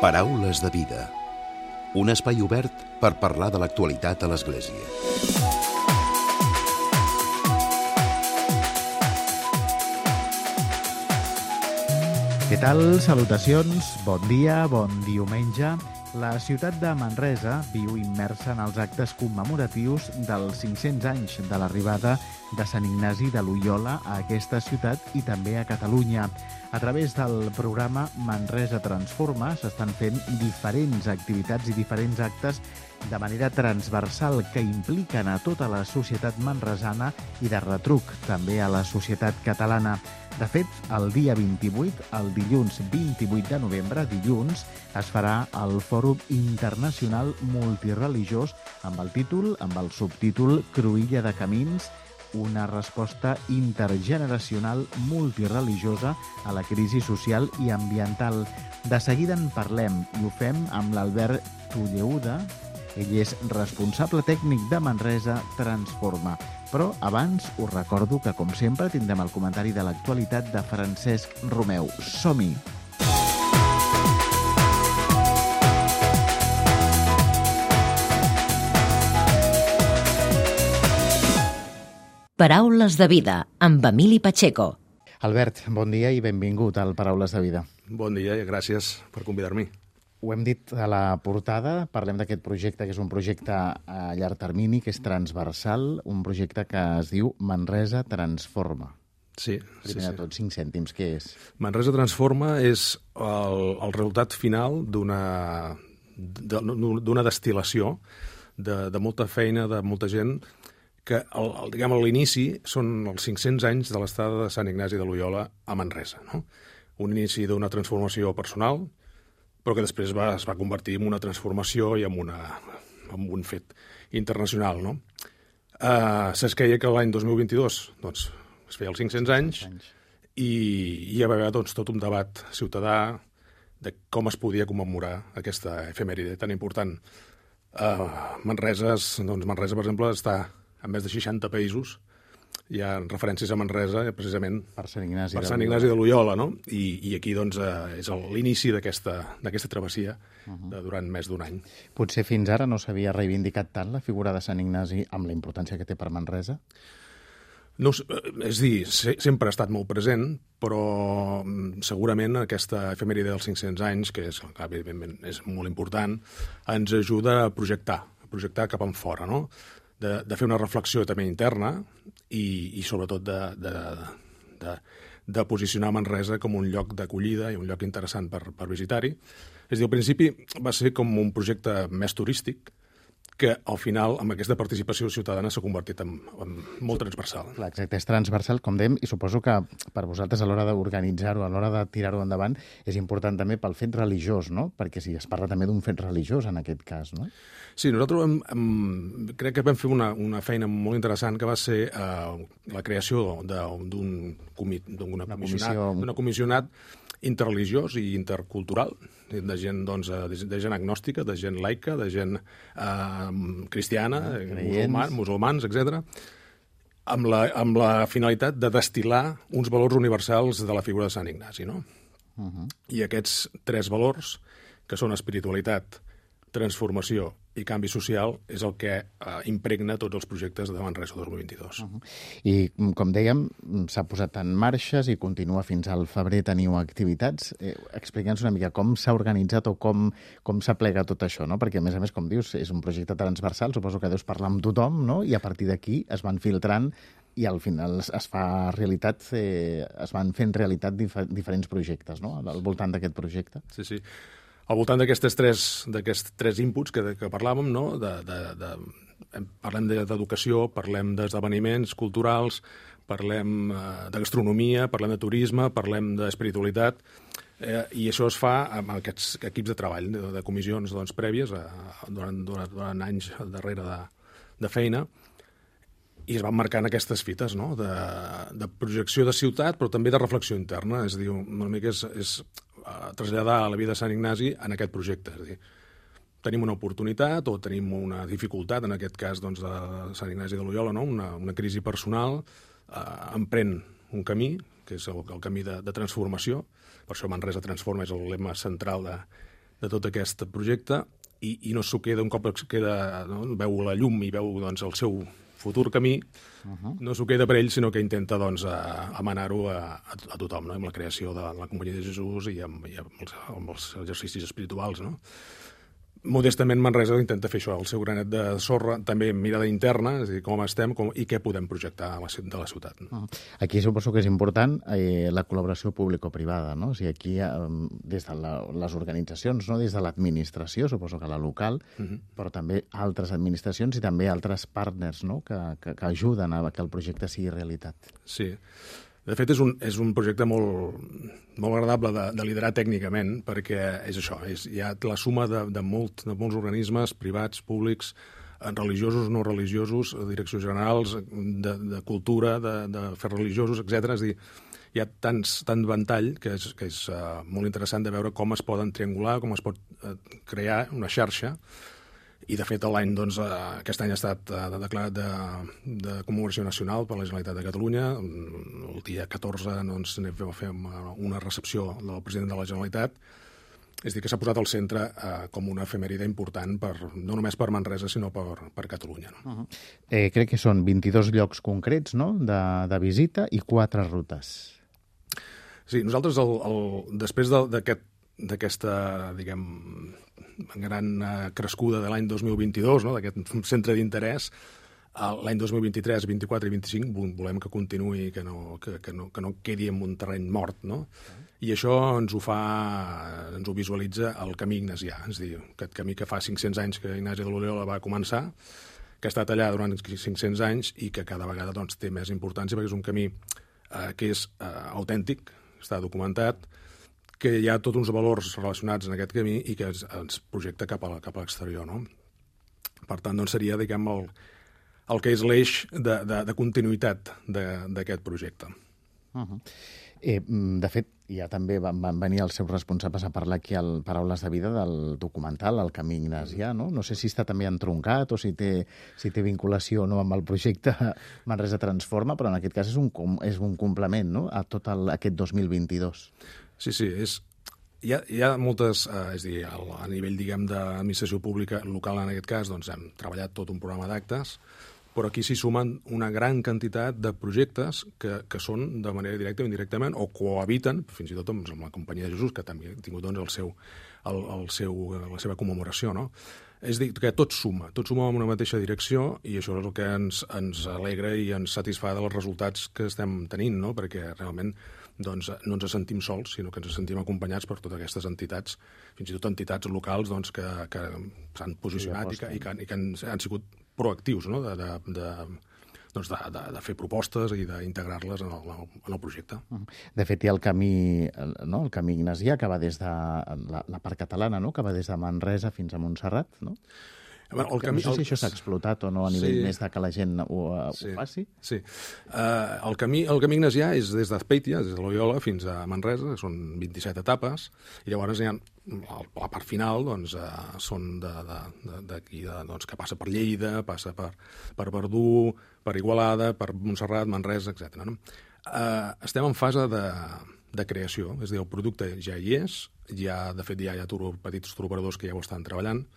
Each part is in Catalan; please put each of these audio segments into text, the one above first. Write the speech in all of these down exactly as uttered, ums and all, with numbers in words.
Paraules de vida. Un espai obert per parlar de l'actualitat a l'Església. Què tal? Salutacions, bon dia, bon diumenge. La ciutat de Manresa viu immersa en els actes commemoratius dels cinc-cents anys de l'arribada de Sant Ignasi de Loiola a aquesta ciutat i també a Catalunya. A través del programa Manresa Transforma s'estan fent diferents activitats i diferents actes de manera transversal que impliquen a tota la societat manresana i de retruc també a la societat catalana. De fet, el dia vint-i-vuit, el dilluns vint-i-vuit de novembre, dilluns, es farà el Fòrum Internacional Multireligiós amb el títol, amb el subtítol Cruïlla de Camins, una resposta intergeneracional multireligiosa a la crisi social i ambiental. De seguida en parlem i ho fem amb l'Albert Tulleuda. Ell és responsable tècnic de Manresa Transforma. Però abans us recordo que, com sempre, tindrem el comentari de l'actualitat de Francesc Romeu. Som-hi! Paraules de vida, amb Emili Pacheco. Albert, bon dia i benvingut al Paraules de vida. Bon dia i gràcies per convidar-m'hi. Ho hem dit a la portada, parlem d'aquest projecte, que és un projecte a llarg termini, que és transversal, un projecte que es diu Manresa Transforma. Sí, Primer sí, de sí. tot, cinc cèntims, què és? Manresa Transforma és el, el resultat final d'una d'una destil·lació de, de molta feina, de molta gent, que el, el, diguem, a l'inici són els cinc-cents anys de l'estada de Sant Ignasi de Loiola a Manresa. No? Un inici d'una transformació personal, però que després va, es va convertir en una transformació i en, una, en un fet internacional. No? Uh, Se'ns queia que l'any dos mil vint-i-dos doncs, es feia els cinc-cents anys, anys. i hi va haver doncs, tot un debat ciutadà de com es podia commemorar aquesta efemèride tan important. Uh, Manresa, doncs Manresa, per exemple, està en més de seixanta països. Hi ha referències a Manresa, precisament, per Sant Ignasi, per Sant Ignasi de Loiola, no? I, i aquí doncs, eh, és l'inici d'aquesta travessia uh-huh. de, durant més d'un any. Potser fins ara no s'havia reivindicat tant la figura de Sant Ignasi amb la importància que té per Manresa? No, és dir, se, sempre ha estat molt present, però segurament aquesta efemèride dels cinc-cents anys, que és, evidentment, és molt important, ens ajuda a projectar, a projectar cap enfora, no? De, de fer una reflexió també interna i, i sobretot de, de, de, de posicionar Manresa com un lloc d'acollida i un lloc interessant per, per visitar-hi. És a dir, al principi va ser com un projecte més turístic, que al final, amb aquesta participació ciutadana, s'ha convertit en, en molt transversal. Clar, exacte, és transversal, com dèiem, i suposo que per vosaltres a l'hora d'organitzar-ho, a l'hora de tirar-ho endavant, és important també pel fet religiós, no? Perquè si es parla també d'un fet religiós en aquest cas, no? Sí, nosaltres hem, hem, crec que vam fer una, una feina molt interessant que va ser eh, la creació d'un comissionat, d'una comissionat interreligiós i intercultural, de gent, doncs, de gent agnòstica, de gent laica, de gent eh, cristiana, musulmans, musulmans etcètera, amb la, amb la finalitat de destil·lar uns valors universals de la figura de Sant Ignasi, no? Uh-huh. I aquests tres valors, que són espiritualitat, transformació i canvi social, és el que eh, impregna tots els projectes de Manresa dos mil vint-i-dos. Uh-huh. I, com dèiem, s'ha posat en marxes i continua fins al febrer. Teniu activitats. Eh, Explica'ns una mica com s'ha organitzat o com, com s'aplega tot això, no? Perquè, a més a més, com dius, és un projecte transversal, suposo que deus parlar amb tothom, no? I a partir d'aquí es van filtrant i al final es fa realitat, eh, es van fent realitat dif diferents projectes, no? Al voltant d'aquest projecte. Sí, sí. Al voltant d'aquests tres, tres inputs que, que parlàvem, no? de, de, de, parlem d'educació, parlem d'esdeveniments culturals, parlem eh, de gastronomia, parlem de turisme, parlem d'espiritualitat, eh, i això es fa amb aquests equips de treball, de, de comissions doncs, prèvies, eh, durant, durant, durant anys darrere de, de feina, i es van marcant aquestes fites, no? de, de projecció de ciutat, però també de reflexió interna, és a dir, una mica és... és traslladar a la vida de Sant Ignasi en aquest projecte. És a dir, tenim una oportunitat o tenim una dificultat, en aquest cas doncs, de Sant Ignasi de Loiola, no? una, una crisi personal, eh, emprèn un camí, que és el, el camí de, de transformació. Per això Manresa Transforma és el lema central de, de tot aquest projecte i, i no s'ho queda, un cop queda, no? veu la llum i veu doncs, el seu futur camí, uh-huh. no s'ho queda per ell, sinó que intenta doncs, emanar-ho a, a, a tothom, no? Amb la creació de la Companyia de Jesús i amb, i amb, els, amb els exercicis espirituals, no? Modestament Manresa intenta fer això, el seu granet de sorra, també mirada interna, és a dir, com estem com, i què podem projectar a la, de la ciutat. No? Aquí suposo que és important eh, la col·laboració público-privada, no? O sigui, aquí, eh, des de la, les organitzacions, no? Des de l'administració, suposo que la local, uh-huh. però també altres administracions i també altres partners, no? que, que, que ajuden a que el projecte sigui realitat. Sí. De fet, és un, és un projecte molt, molt agradable de, de liderar tècnicament, perquè és això, és, hi ha la suma de, de, molt, de molts organismes privats, públics, religiosos, no religiosos, direccions generals, de, de cultura, de, de fer religiosos, etcètera. És a dir, hi ha tants, tant ventall que és, que és uh, molt interessant de veure com es poden triangular, com es pot uh, crear una xarxa. I, de fet, l'any, doncs, aquest any ha estat declarat de, de commemoració nacional per la Generalitat de Catalunya. El dia catorze doncs, vam fer una recepció del president de la Generalitat. És a dir, que s'ha posat al centre eh, com una efemèride important, per, no només per Manresa, sinó per, per Catalunya. No? Uh-huh. eh, crec que són vint-i-dos llocs concrets, no?, de, de visita i quatre rutes. Sí, nosaltres, el, el, després d'aquest d'aquesta, diguem, gran crescuda de l'any dos mil vint-i-dos, no? D'aquest centre d'interès, l'any dos mil vint-i-tres, vint-i-quatre i vint-i-cinc volem que continuï, que no, que, que no, que no quedi en un terreny mort, no? I això ens ho fa, ens ho visualitza el camí ignasià, és a dir, aquest camí que fa cinc-cents anys que Ignasi de Loyola va començar, que ha estat allà durant cinc-cents anys i que cada vegada doncs, té més importància perquè és un camí eh, que és eh, autèntic, està documentat, que hi ha tots uns valors relacionats en aquest camí i que ens, ens projecta cap a, cap a l'exterior, no? Per tant, doncs, seria, diguem, el, el que és l'eix de, de, de continuïtat d'aquest projecte. Uh-huh. eh, de fet, ja també van, van venir els seus responsables a parlar aquí al Paraules de Vida del documental El camí ignasià, no? No sé si està també entroncat o si té, si té vinculació o no amb el projecte Manresa Transforma, però en aquest cas és un, és un complement, no?, a tot el, aquest dos mil vint-i-dos. Sí, sí, és, hi, ha, hi ha moltes, eh, és a dir, a nivell, diguem, d'administració pública local en aquest cas, doncs hem treballat tot un programa d'actes, però aquí s'hi sumen una gran quantitat de projectes que, que són de manera directa o indirectament, o cohabiten, fins i tot amb, amb la Companyia de Jesús, que també ha tingut doncs, el seu, el, el seu, la seva commemoració, no? És a dir, que tot suma, tot suma en una mateixa direcció i això és el que ens, ens alegra i ens satisfà dels resultats que estem tenint, no? Perquè realment doncs, no ens sentim sols, sinó que ens sentim acompanyats per totes aquestes entitats, fins i tot entitats locals doncs, que, que s'han posicionat sí, i, que, i, que, i que han, han sigut proactius, no?, de, de, de, doncs de, de, de fer propostes i d'integrar-les en, en el projecte. De fet, hi ha el camí, no?, el camí ignasià, que va des de la, la part catalana, no?, que va des de Manresa fins a Montserrat, no? Bueno, el camí, no sé si això s'ha explotat o no a nivell sí. més de que la gent ho, sí. ho faci. Sí. Uh, el, camí, el camí ignasià és des d'Azpeitia, des de Loyola, fins a Manresa, que són vint-i-set etapes, i llavors hi ha, la part final doncs, uh, són d'aquí, doncs, que passa per Lleida, passa per, per Verdú, per Igualada, per Montserrat, Manresa, etcètera. No? Uh, estem en fase de, de creació, és a dir, el producte ja hi és, ja, de fet ja hi ha tur, petits turoperadors que ja ho estan treballant,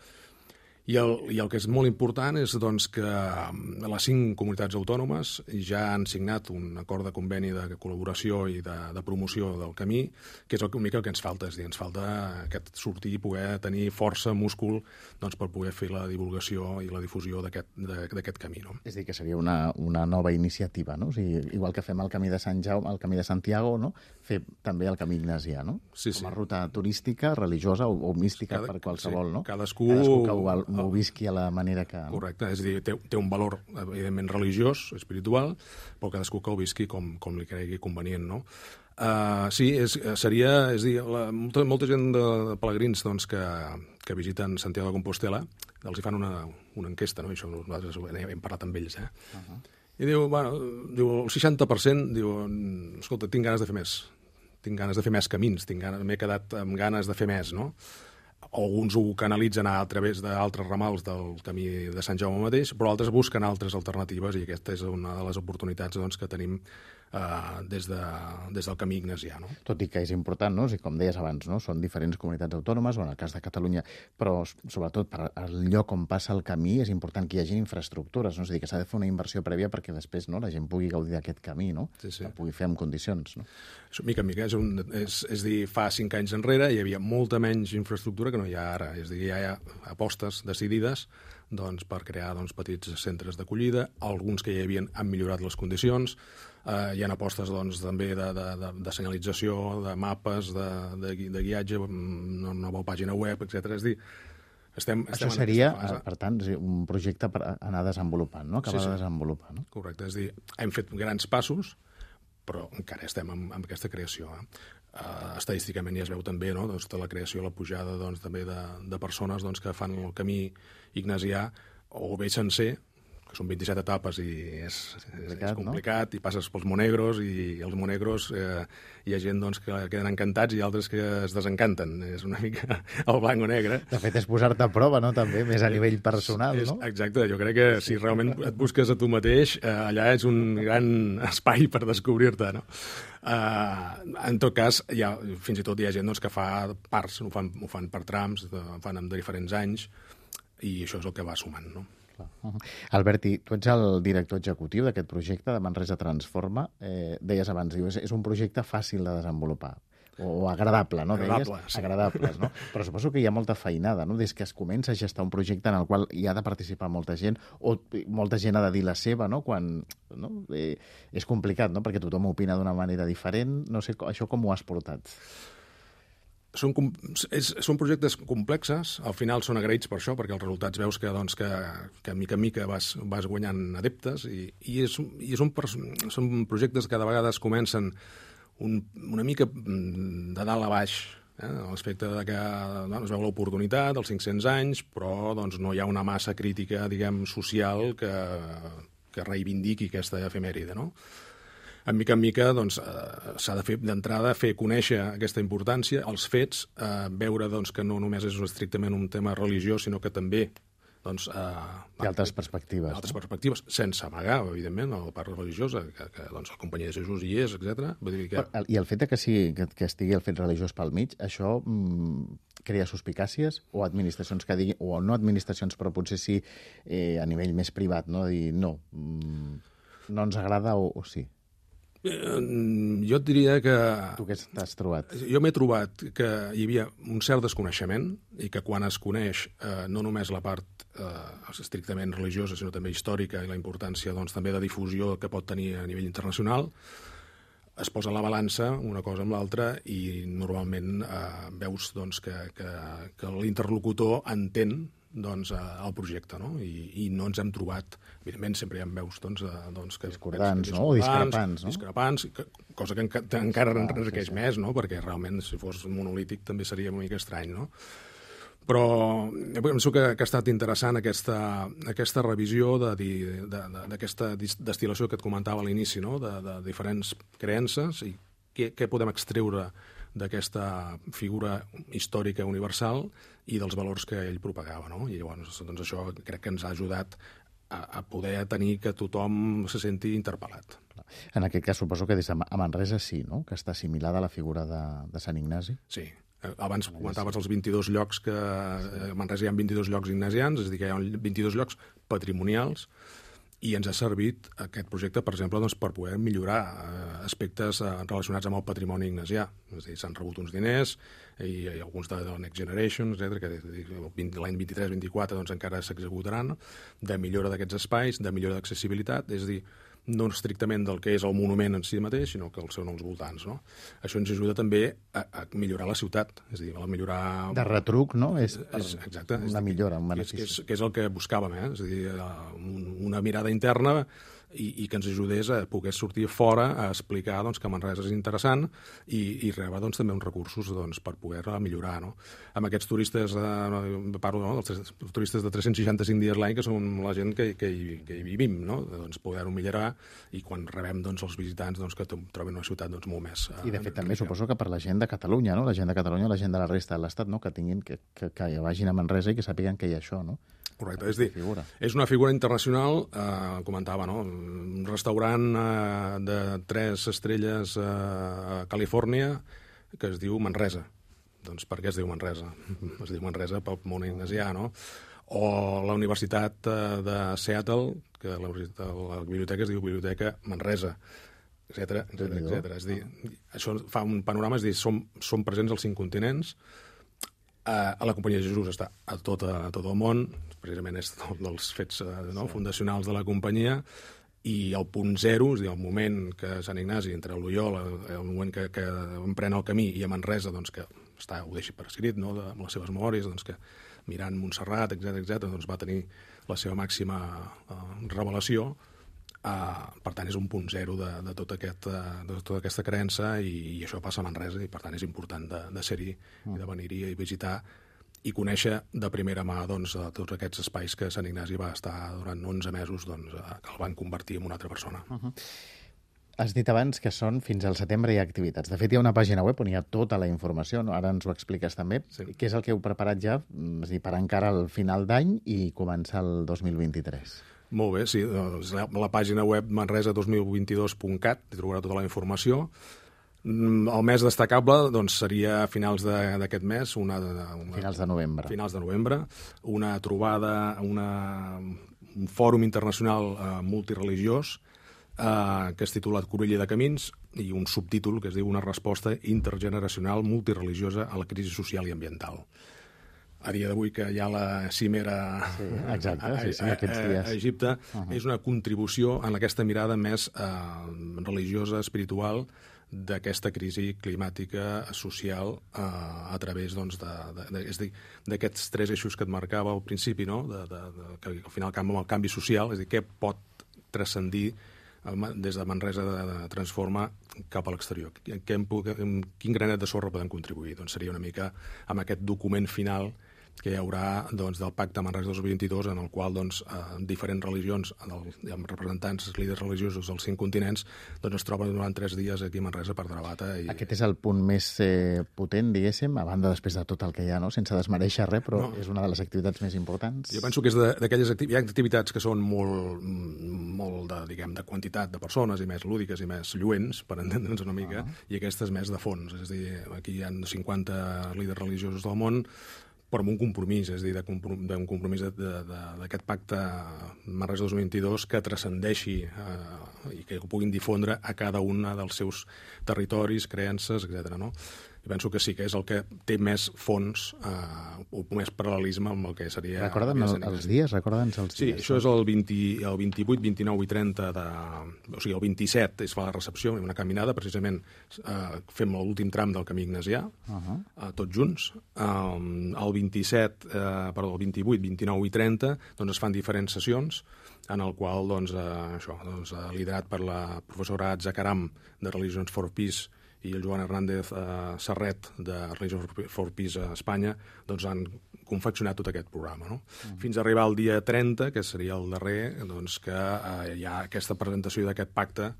I el, I el que és molt important és doncs, que les cinc comunitats autònomes ja han signat un acord de conveni de col·laboració i de, de promoció del camí, que és el que, el que ens falta. És dir, ens falta aquest sortir i poder tenir força, múscul, doncs, per poder fer la divulgació i la difusió d'aquest camí. No? És a dir, que seria una, una nova iniciativa, no? O sigui, igual que fem el camí de Sant Jaume, el camí de Santiago, no? Fer també el camí ignasià, no? Sí, sí. Com a ruta turística, religiosa o, o mística Cada, per qualsevol, sí, no? Cadascú... Cadascú que ho, ho visqui a la manera que... Correcte, és a dir, té, té un valor evidentment religiós, espiritual, però cadascú que ho visqui com, com li cregui convenient, no? Uh, sí, és, seria, és a dir, la, molta, molta gent de, de pelegrins doncs, que, que visiten Santiago de Compostela, els hi fan una, una enquesta, no? I això nosaltres hem parlat amb ells, eh? Uh-huh. I diu, bueno, diu, el seixanta per cent diu, escolta, tinc ganes de fer més, tinc ganes de fer més camins, tinc ganes, m'he quedat amb ganes de fer més, no? Alguns ho canalitzen a través d'altres ramals del camí de Sant Jaume mateix, però altres busquen altres alternatives i aquesta és una de les oportunitats doncs, que tenim Uh, des, de, des del camí ignasià. No? Tot i que és important, no? O sigui, com deies abans, no? Són diferents comunitats autònomes, o en el cas de Catalunya, però sobretot per al lloc on passa el camí és important que hi hagi infraestructures, no? És a dir, que s'ha de fer una inversió prèvia perquè després, no, la gent pugui gaudir d'aquest camí, no? Sí, sí. Que pugui fer en condicions. No? Això, mica en mica, és, un, és, és dir, fa cinc anys enrere hi havia molta menys infraestructura que no hi ha ara. És a dir, hi ha apostes decidides doncs, per crear doncs, petits centres d'acollida, alguns que ja hi havien han millorat les condicions, eh, hi ha apostes doncs, també de, de, de, de senyalització, de mapes, de, de, de guiatge, una nova pàgina web, etcètera. És dir, estem, estem Això en seria, aquesta fase. per tant, un projecte per anar desenvolupant, no? Acabar Sí, sí. de desenvolupar. No? Correcte, és a dir, hem fet grans passos, però encara estem amb, amb aquesta creació. Eh? Uh, estadísticament ja es veu també, no? Doncs, tota la creació, la pujada doncs, també de, de persones doncs, que fan el camí ignasià, o bé sencer, que són vint-i-set etapes i és, és, Complicat, és complicat, no? I passes pels Monegros, i els Monegros eh, hi ha gent doncs, que queden encantats i altres que es desencanten. És una mica el blanc o negre. De fet, és posar-te a prova, no?, també, més a nivell personal, és, no? Exacte, jo crec que si realment et busques a tu mateix, eh, allà és un gran espai per descobrir-te, no? Uh, en tot cas, hi ha, fins i tot hi ha gent doncs, que fa parts, ho fan, ho fan per trams, ho fan en diferents anys, i això és el que va sumant, no? Alberti, tu ets el director executiu d'aquest projecte de Manresa Transforma. Eh, deies abans, dius, és un projecte fàcil de desenvolupar, o agradable, no? Agradable, deies? sí. Agradables, no? Però suposo que hi ha molta feinada, no? Des que es comença a gestar un projecte en el qual hi ha de participar molta gent, o molta gent ha de dir la seva, no? Quan, no? Eh, és complicat, no? Perquè tothom opina d'una manera diferent. No sé, això com ho has portat? Són, és, són projectes complexes, al final són agraïts per això, perquè els resultats veus que, doncs, que, que mica en mica vas, vas guanyant adeptes, i, i, és, i són, són projectes que cada vegades comencen un, una mica de dalt a baix, eh? L'aspecte de que bueno, es veu l'oportunitat, els cinc-cents anys, però doncs, no hi ha una massa crítica, diguem, social que, que reivindiqui aquesta efemèride, no? En mica en mica doncs, eh, s'ha de fer d'entrada fer conèixer aquesta importància, els fets, eh, veure doncs, que no només és estrictament un tema religiós, sinó que també doncs, eh, Hi ha altres perspectives. altres no? perspectives, sense amagar, evidentment, la part religiosa, que, que doncs, la companyia de Jesús hi és, etcètera. Vull dir que... I el fet de que, sigui, que, que estigui el fet religiós pel mig, això mm, crea suspicàcies, o administracions que diguin, o no administracions, però potser sí eh, a nivell més privat, no? Dir, no, mm, no ens agrada o, o sí. Jo et diria que... Tu què t'has trobat? Jo m'he trobat que hi havia un cert desconeixement i que quan es coneix eh, no només la part eh, estrictament religiosa, sinó també històrica i la importància doncs, també de difusió que pot tenir a nivell internacional, es posa a la balança una cosa amb l'altra i normalment eh, veus doncs, que, que, que l'interlocutor entén doncs, el projecte, no? I, i no ens hem trobat... Evidentment, sempre hi ha veus doncs, doncs, que, discordants, que, no? O discrepants, no? Discrepants, que, cosa que enca encara Ah, enriqueix sí, sí. més, no? Perquè realment, si fos monolític, també seria una mica estrany, no? Però jo penso que, que ha estat interessant aquesta, aquesta revisió d'aquesta destil·lació que et comentava a l'inici, no? de, de diferents creences i què, què podem extreure d'aquesta figura històrica universal i dels valors que ell propagava. No? I llavors doncs això crec que ens ha ajudat a, a poder tenir que tothom se senti interpel·lat. En aquest cas suposo que des de a Manresa sí, no? Que està assimilada a la figura de, de Sant Ignasi. Sí. Abans comentaves els vint-i-dos llocs que... A Manresa hi ha vint-i-dos llocs ignasians, és a dir, que hi ha vint-i-dos llocs patrimonials, i ens ha servit aquest projecte, per exemple, doncs, per poder millorar eh, aspectes eh, relacionats amb el patrimoni ignasià. És a dir, s'han rebut uns diners, i, i alguns de, de Next Generation, etcètera, que l'any vint-i-tres vint-i-quatre doncs, encara s'executaran, de millora d'aquests espais, de millora d'accessibilitat, és a dir, no estrictament del que és el monument en si mateix, sinó que el són els voltants. No? Això ens ajuda també a, a millorar la ciutat, és a dir, a millorar... De retruc, no? És, és exacte, una millora, un que és, benefici. que, és, que és el que buscàvem, eh? És a dir, una mirada interna i, i que ens ajudés a poder sortir fora a explicar doncs, que Manresa és interessant i, i rebre doncs, també uns recursos doncs, per poder millorar. No? Amb aquests turistes, eh, parlo no? dels turistes de tres-cents seixanta-cinc dies l'any, que són la gent que, que, hi, que hi vivim, no? doncs, poder-ho millorar i quan rebem doncs, els visitants doncs, que troben una ciutat doncs, molt més... Eh, I de fet també suposo que per la gent de Catalunya, no? La gent de Catalunya, la gent de la resta de l'Estat, no? Que tinguin, que, que, que vagin a Manresa i que sàpiguen que hi ha això, no? Correcte, és dir, figura. és una figura internacional, eh, comentava, no? Un restaurant eh, de tres estrelles eh, a Califòrnia que es diu Manresa. Doncs per què es diu Manresa? Es diu Manresa pel món ignasià, no? O la Universitat de Seattle, que la, la biblioteca es diu Biblioteca Manresa, etcètera, etcètera, etcètera. És dir, això fa un panorama, és dir, som, som presents als cinc continents, a, a la Companyia de Jesús està a tot, a, a tot el món, precisament és un dels fets no, sí. fundacionals de la companyia, i el punt zero, és a dir, el moment que Sant Ignasi, entre l'Oriol, el moment que, que emprèn el camí, i a Manresa, doncs, que està, ho deixi per escrit, no, de, amb les seves memòries, doncs, que mirant Montserrat, etcètera, etcètera, doncs va tenir la seva màxima uh, revelació. Uh, per tant, és un punt zero de, de, tot aquest, uh, de tota aquesta creença, i, i això passa a Manresa, i per tant és important de, de ser-hi, mm. i de venir-hi i visitar i conèixer de primera mà doncs, tots aquests espais que Sant Ignasi va estar durant onze mesos, doncs, uh, que el van convertir en una altra persona. Uh -huh. Has dit abans que són fins al setembre hi ha activitats. De fet, hi ha una pàgina web on hi ha tota la informació, no? Ara ens ho expliques també. Sí. Què és el que heu preparat ja és dir, per encara al final d'any i començar el dos mil vint-i-tres? Molt bé, sí. Doncs la, la pàgina web manresa dos mil vint-i-dos punt cat, hi trobarà tota la informació. El més destacable doncs, seria a finals d'aquest mes, una, una, finals de novembre. Finals de novembre, una trobada, una, un fòrum internacional eh, multireligiós, Uh, que és titulat Cruïlla de Camins, i un subtítol que es diu Una resposta intergeneracional multireligiosa a la crisi social i ambiental. A dia d'avui, que hi ha la cimera sí, exacte, a, sí, sí, aquests dies. a, a Egipte, uh -huh. és una contribució en aquesta mirada més uh, religiosa, espiritual, d'aquesta crisi climàtica, social, uh, a través doncs, de, de, de, és dir, d'aquests tres eixos que et marcava al principi, no? de, de, de, que al final amb el canvi social, és a dir, què pot transcendir des de Manresa de, de transforma cap a l'exterior. Quin granet de sorra podem contribuir? Doncs seria una mica amb aquest document final que hi haurà doncs, del Pacte Manresa dos mil vint-i-dos, en el qual doncs, eh, diferents religions, el, amb representants, líders religiosos dels cinc continents, doncs, es troben durant tres dies aquí a Manresa per debatre. I... Aquest és el punt més eh, potent, diguéssim, a banda després de tot el que hi ha, no? Sense desmereixer res, però no. És una de les activitats més importants. Jo penso que és d'aquelles activitats, hi ha activitats que són molt, molt de, diguem, de quantitat de persones i més lúdiques i més lluents, per entendre'ns una mica, uh-huh. i aquestes més de fons. És a dir, aquí hi ha cinquanta líders religiosos del món, però amb un compromís, és a dir, d'un compromís d'aquest pacte Manresa dos mil vint-i-dos que transcendeixi eh, i que ho puguin difondre a cada un dels seus territoris, creences, etcètera. No? I penso que sí que és el que té més fons eh, o més paral·lelisme amb el que seria... Recorda'm el, els dies, recorda'ns els sí, dies. Sí, això és el, vint, el vint-i-vuit, vint-i-nou i trenta de... O sigui, el vint-i-set es fa la recepció, una caminada, precisament eh, fem l'últim tram del camí ignasià, uh -huh. eh, tots junts. Um, el vint-i-set, eh, perdó, el vint-i-vuit, vint-i-nou i trenta, doncs es fan diferents sessions, en el qual, doncs, eh, això, doncs, liderat per la professora Atza Karam, de Religions for Peace, i el Joan Hernández eh, Serret, de Religions for Peace a Espanya, doncs han confeccionat tot aquest programa. No? Uh-huh. Fins a arribar al dia trenta, que seria el darrer, doncs, que eh, hi ha aquesta presentació d'aquest pacte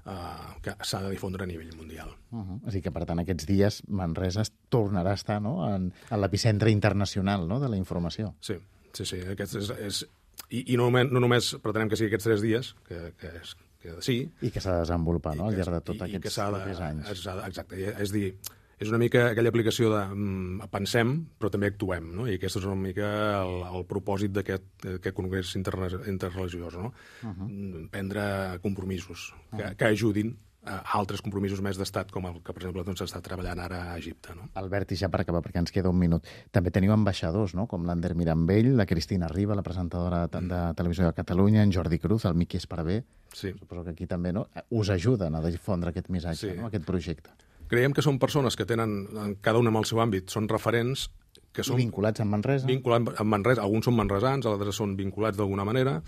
eh, que s'ha de difondre a nivell mundial. Uh-huh. És a dir, que per tant aquests dies Manresa tornarà a estar, no? en, en l'epicentre internacional, no? de la informació. Sí, sí, sí. Aquest és, és... I, i no, no només pretenem que sigui aquests tres dies, que, que és que sí. I que s'ha de desenvolupar, no?, al llarg de tots aquests de, anys. Exacte. És dir, és una mica aquella aplicació de mm, pensem, però també actuem, no? I aquest és una mica el, el propòsit d'aquest congrés inter, interreligiós, no? Uh-huh. Prendre compromisos que, uh-huh. que ajudin a altres compromisos més d'estat, com el que, per exemple, doncs, està treballant ara a Egipte. No? Albert, i ja per acabar, perquè ens queda un minut, també teniu ambaixadors, no?, com l'Ander Mirambell, la Cristina Riba, la presentadora de, de Televisió de Catalunya, en Jordi Cruz, el Miqui Esparvé. Sí. Suposo que aquí també, no?, us ajuden a difondre aquest missatge, sí. no?, aquest projecte. Creiem que són persones que tenen, cada una amb el seu àmbit, són referents que són... I vinculats amb Manresa. Vinculats amb Manresa. Alguns són manresans, altres són vinculats d'alguna manera,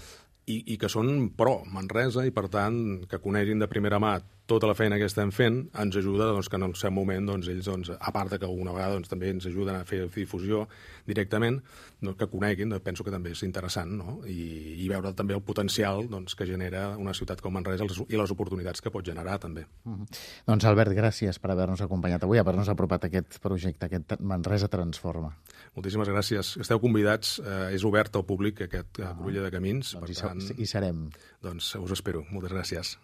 i, i que són pro Manresa i, per tant, que coneguin de primera mà tota la feina que estem fent ens ajuda doncs, que en el seu moment doncs, ells, doncs, a part de que alguna vegada doncs, també ens ajuden a fer difusió directament, doncs, que coneguin, doncs, penso que també és interessant, no? I, i veure també el potencial doncs, que genera una ciutat com Manresa i les oportunitats que pot generar també. Uh-huh. Doncs Albert, gràcies per haver-nos acompanyat avui, haver-nos apropat aquest projecte, aquest Manresa Transforma. Moltíssimes gràcies. Esteu convidats, eh, és obert al públic aquest uh-huh. Cruïlla de Camins, doncs per hi, tant, hi serem. Doncs us espero. Moltes gràcies.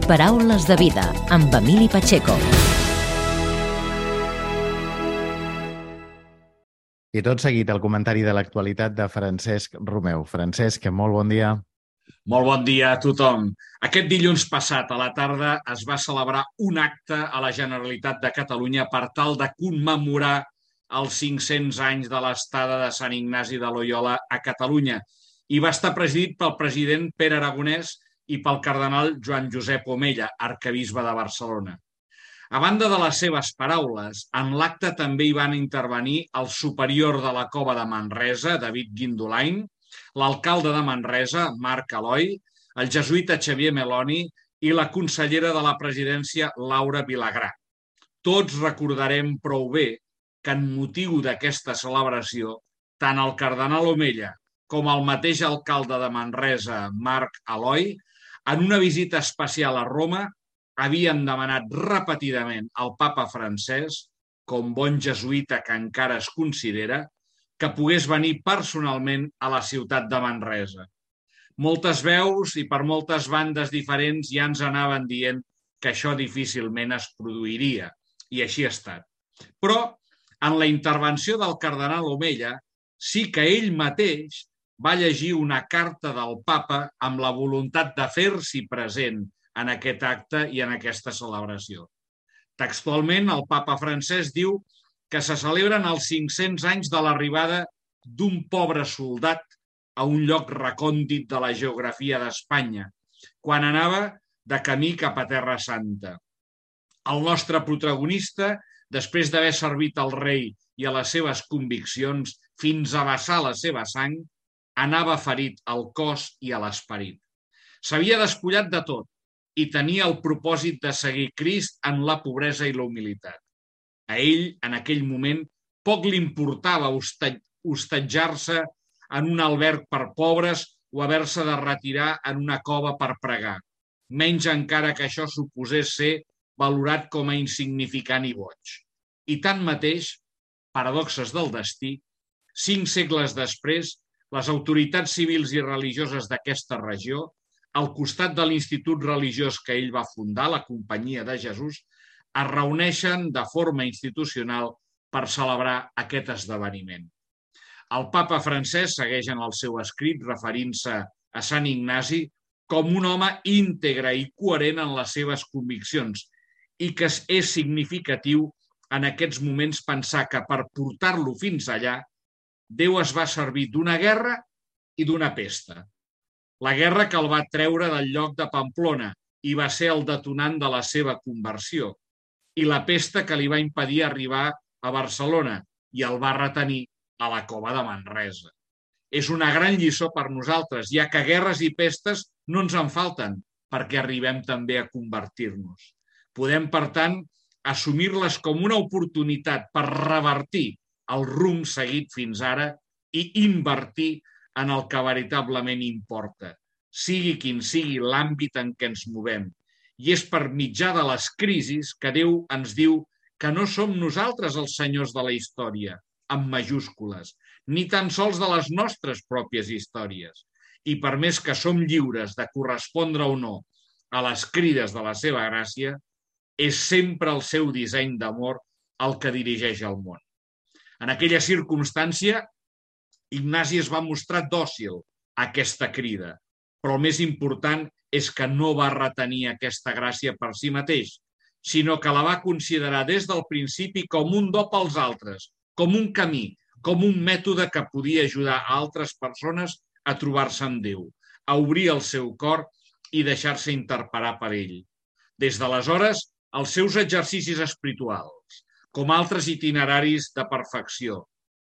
Paraules de vida, amb Emili Pacheco. I tot seguit el comentari de l'actualitat de Francesc Romeu. Francesc, molt bon dia. Molt bon dia a tothom. Aquest dilluns passat a la tarda es va celebrar un acte a la Generalitat de Catalunya per tal de commemorar els cinc-cents anys de l'estada de Sant Ignasi de Loyola a Catalunya i va estar presidit pel president Pere Aragonès i pel cardenal Joan Josep Omella, arquebisbe de Barcelona. A banda de les seves paraules, en l'acte també hi van intervenir el superior de la Cova de Manresa, David Guindolain, l'alcalde de Manresa, Marc Aloi, el jesuïta Xavier Meloni i la consellera de la presidència, Laura Vilagrà. Tots recordarem prou bé que en motiu d'aquesta celebració, tant el cardenal Omella com el mateix alcalde de Manresa, Marc Aloi, en una visita especial a Roma, havien demanat repetidament al papa francès, com bon jesuïta que encara es considera, que pogués venir personalment a la ciutat de Manresa. Moltes veus i per moltes bandes diferents ja ens anaven dient que això difícilment es produiria, i així ha estat. Però, en la intervenció del cardenal Omella, sí que ell mateix va llegir una carta del papa amb la voluntat de fer-s'hi present en aquest acte i en aquesta celebració. Textualment, el papa francès diu que se celebren els cinc-cents anys de l'arribada d'un pobre soldat a un lloc recòndit de la geografia d'Espanya, quan anava de camí cap a Terra Santa. El nostre protagonista, després d'haver servit al rei i a les seves conviccions fins a vessar la seva sang, anava ferit al cos i a l'esperit. S'havia despullat de tot i tenia el propòsit de seguir Crist en la pobresa i la humilitat. A ell, en aquell moment, poc li importava hostatjar-se en un alberg per pobres o haver-se de retirar en una cova per pregar, menys encara que això suposés ser valorat com a insignificant i boig. I tanmateix, paradoxes del destí, cinc segles després, les autoritats civils i religioses d'aquesta regió, al costat de l'institut religiós que ell va fundar, la Companyia de Jesús, es reuneixen de forma institucional per celebrar aquest esdeveniment. El papa francès segueix en el seu escrit referint-se a Sant Ignasi com un home íntegre i coherent en les seves conviccions i que és significatiu en aquests moments pensar que per portar-lo fins allà Déu es va servir d'una guerra i d'una pesta. La guerra que el va treure del lloc de Pamplona i va ser el detonant de la seva conversió, i la pesta que li va impedir arribar a Barcelona i el va retenir a la cova de Manresa. És una gran lliçó per nosaltres, ja que guerres i pestes no ens en falten perquè arribem també a convertir-nos. Podem, per tant, assumir-les com una oportunitat per revertir el rumb seguit fins ara i invertir en el que veritablement importa, sigui quin sigui l'àmbit en què ens movem. I és per mitjà de les crisis que Déu ens diu que no som nosaltres els senyors de la història, amb majúscules, ni tan sols de les nostres pròpies històries. I per més que som lliures de correspondre o no a les crides de la seva gràcia, és sempre el seu disseny d'amor el que dirigeix el món. En aquella circumstància, Ignasi es va mostrar dòcil a aquesta crida, però el més important és que no va retenir aquesta gràcia per si mateix, sinó que la va considerar des del principi com un do pels altres, com un camí, com un mètode que podia ajudar a altres persones a trobar-se amb Déu, a obrir el seu cor i deixar-se interpel·lar per ell. Des d'aleshores, els seus exercicis espirituals, com altres itineraris de perfecció,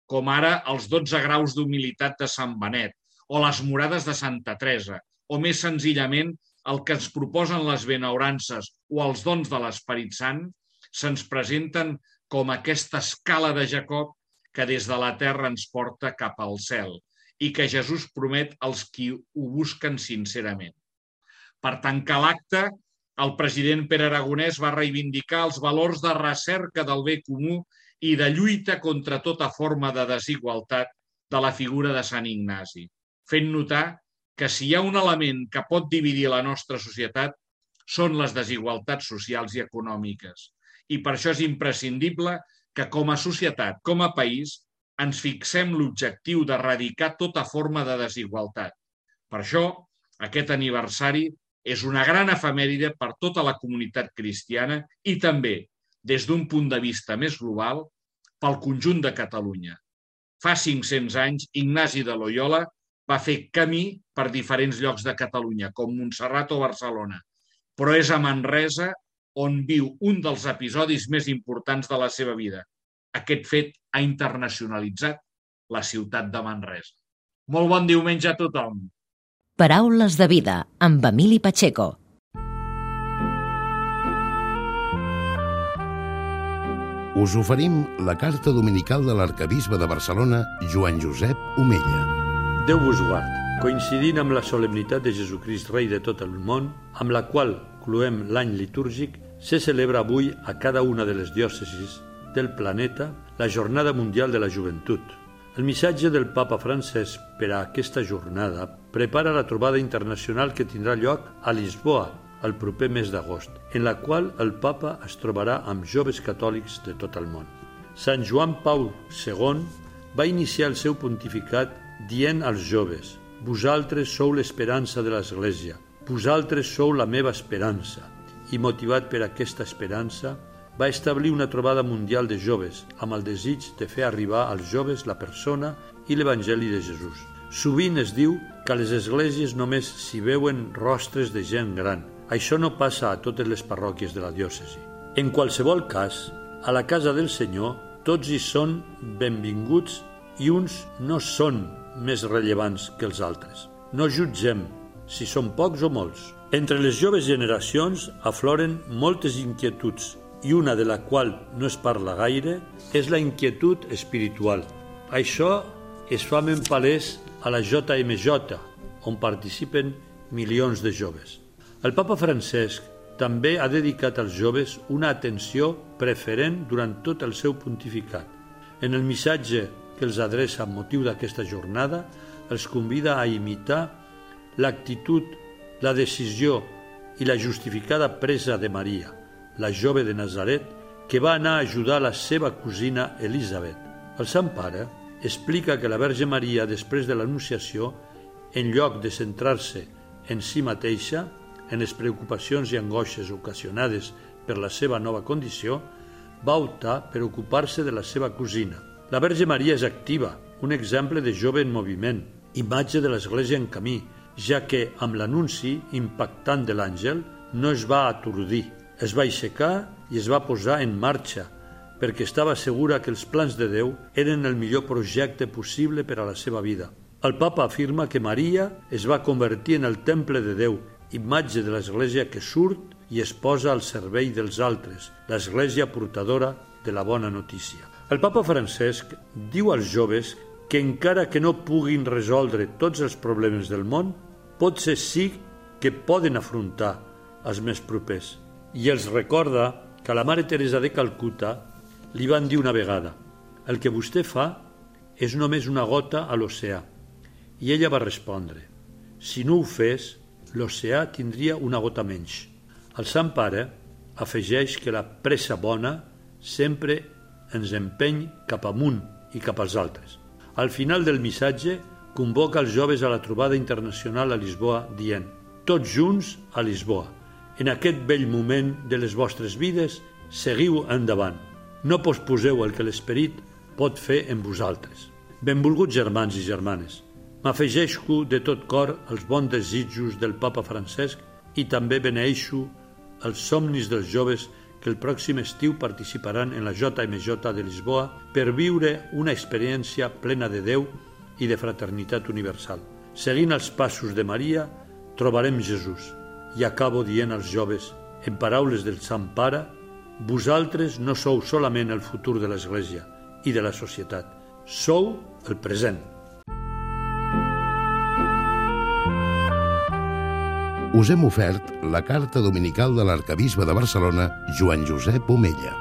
com ara els dotze graus d'humilitat de Sant Benet o les morades de Santa Teresa, o més senzillament el que ens proposen les benaurances o els dons de l'Esperit Sant se'ns presenten com aquesta escala de Jacob que des de la terra ens porta cap al cel i que Jesús promet als qui ho busquen sincerament. Per tancar l'acte, el president Pere Aragonès va reivindicar els valors de recerca del bé comú i de lluita contra tota forma de desigualtat de la figura de Sant Ignasi, fent notar que si hi ha un element que pot dividir la nostra societat són les desigualtats socials i econòmiques. I per això és imprescindible que com a societat, com a país, ens fixem l'objectiu d'erradicar tota forma de desigualtat. Per això, aquest aniversari és una gran efemèride per tota la comunitat cristiana i també, des d'un punt de vista més global, pel conjunt de Catalunya. Fa cinc-cents anys, Ignasi de Loyola va fer camí per diferents llocs de Catalunya, com Montserrat o Barcelona, però és a Manresa on viu un dels episodis més importants de la seva vida. Aquest fet ha internacionalitzat la ciutat de Manresa. Molt bon diumenge a tothom. Paraules de vida, amb Emili Pacheco. Us oferim la carta dominical de l'arcabisbe de Barcelona, Joan Josep Omella. Déu vos guard. Coincidint amb la solemnitat de Jesucrist, rei de tot el món, amb la qual cloem l'any litúrgic, se celebra avui a cada una de les diòcesis del planeta la Jornada Mundial de la Joventut. El missatge del Papa Francesc per a aquesta jornada prepara la trobada internacional que tindrà lloc a Lisboa el proper mes d'agost, en la qual el Papa es trobarà amb joves catòlics de tot el món. Sant Joan Paul segon va iniciar el seu pontificat dient als joves: «Vosaltres sou l'esperança de l'Església, vosaltres sou la meva esperança», i motivat per aquesta esperança, va establir una trobada mundial de joves amb el desig de fer arribar als joves la persona i l'Evangeli de Jesús. Sovint es diu que a les esglésies només s'hi veuen rostres de gent gran. Això no passa a totes les parròquies de la diòcesi. En qualsevol cas, a la casa del Senyor tots hi són benvinguts i uns no són més rellevants que els altres. No jutgem si són pocs o molts. Entre les joves generacions afloren moltes inquietuds i una de la qual no es parla gaire és la inquietud espiritual. Això es fa ben palès a la J M J, on participen milions de joves. El Papa Francesc també ha dedicat als joves una atenció preferent durant tot el seu pontificat. En el missatge que els adreça amb motiu d'aquesta jornada, els convida a imitar l'actitud, la decisió i la justificada presa de Maria, la jove de Nazaret, que va anar a ajudar la seva cosina Elisabet. El Sant Pare explica que la Verge Maria, després de l'Anunciació, en lloc de centrar-se en si mateixa, en les preocupacions i angoixes ocasionades per la seva nova condició, va optar per ocupar-se de la seva cosina. La Verge Maria és activa, un exemple de jove en moviment, imatge de l'Església en camí, ja que amb l'anunci impactant de l'àngel no es va atordir, es va aixecar i es va posar en marxa, perquè estava segura que els plans de Déu eren el millor projecte possible per a la seva vida. El Papa afirma que Maria es va convertir en el temple de Déu, imatge de l'Església que surt i es posa al servei dels altres, l'Església portadora de la bona notícia. El Papa Francesc diu als joves que encara que no puguin resoldre tots els problemes del món, potser sí que poden afrontar els més propers. I els recorda que a la Mare Teresa de Calcuta li van dir una vegada: «El que vostè fa és només una gota a l'oceà». I ella va respondre: «Si no ho fes, l'oceà tindria una gota menys». El Sant Pare afegeix que la pressa bona sempre ens empeny cap amunt i cap als altres. Al final del missatge convoca els joves a la trobada internacional a Lisboa dient: «Tots junts a Lisboa. En aquest vell moment de les vostres vides, seguiu endavant. No posposeu el que l'Esperit pot fer en vosaltres». Benvolguts germans i germanes, m'afegeixo de tot cor als bons desitjos del Papa Francesc i també beneixo els somnis dels joves que el pròxim estiu participaran en la J M J de Lisboa per viure una experiència plena de Déu i de fraternitat universal. Seguint els passos de Maria, trobarem Jesús I acabo dient als joves, en paraules del Sant Pare, vosaltres no sou solament el futur de l'Església i de la societat, sou el present. Us hem ofert la carta dominical de l'arquebisbe de Barcelona, Joan Josep Omella.